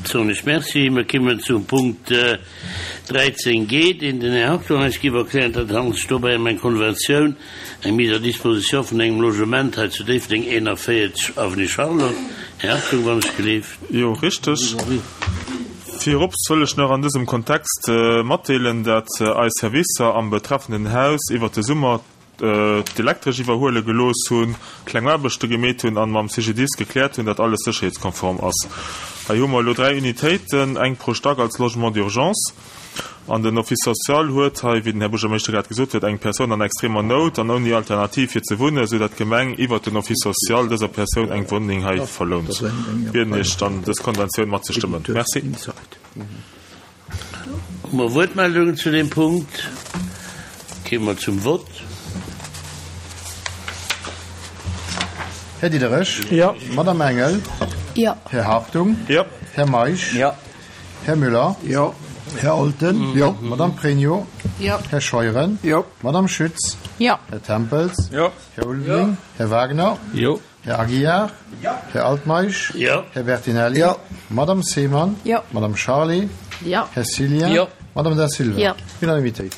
Soen ech Merci. Mir kimmen zum Punkt 13 g, deen den Här Hartung eis giff erklären. Dat handelt sech dobäi ëm eng Konventioun, eng Mise à disposition vun engem Logement hei zu Déifferdeng, 41, Avenue Charlotte. Här Hartung, wann ech gleeft. Jo, richteg. Virops wëll ech nach an dësem Kontext matdeelen, dat eis Servicer am betreffenden Haus iwwert de Summer d'Elektresch iwwerhuele gelooss hunn, kleng Aarbechte gemeet hunn an mam CGDIS gekläert hunn, dat alles sécherheetskonform ass. Hei hu mer elo 3 Unitéiten, eng pro Stack als Logement d'urgence. An den Office social huet hei, wéi den Här Buergermeeschter grad gesot huet, eng Persoun an extremer Nout an ouni Alternativ fir ze wunnen, esou dat d'Gemeng iwwert den Office social dëser Persoun eng Wunneng hei verlount. Bieden Iech dann, dës Konventioun matzestëmmen. Merci. Hu mer Wuertmeldungen zu deem Punkt? Kéime mer zum Vott. Här Diderich. Jo. Madamm Engel. Jo. Här Hartung. Jo. Här Meisch. Jo. Här Müller. Jo. Här Olten. Jo. Madamm Pregno. Jo. Här Scheuren. Jo. Madamm Schütz. Jo. Här Tempels. Jo. Här Ulveling. Här Wagner. Jo. Här Aguiar. Jo. Här Altmeisch. Jo. Här Bertinelli. Jo. Madamm Seemann. Jo. Madamm Charlé. Jo. Här Cillien. Jo. Madamm Da Silva. Jo. Unanimitéit.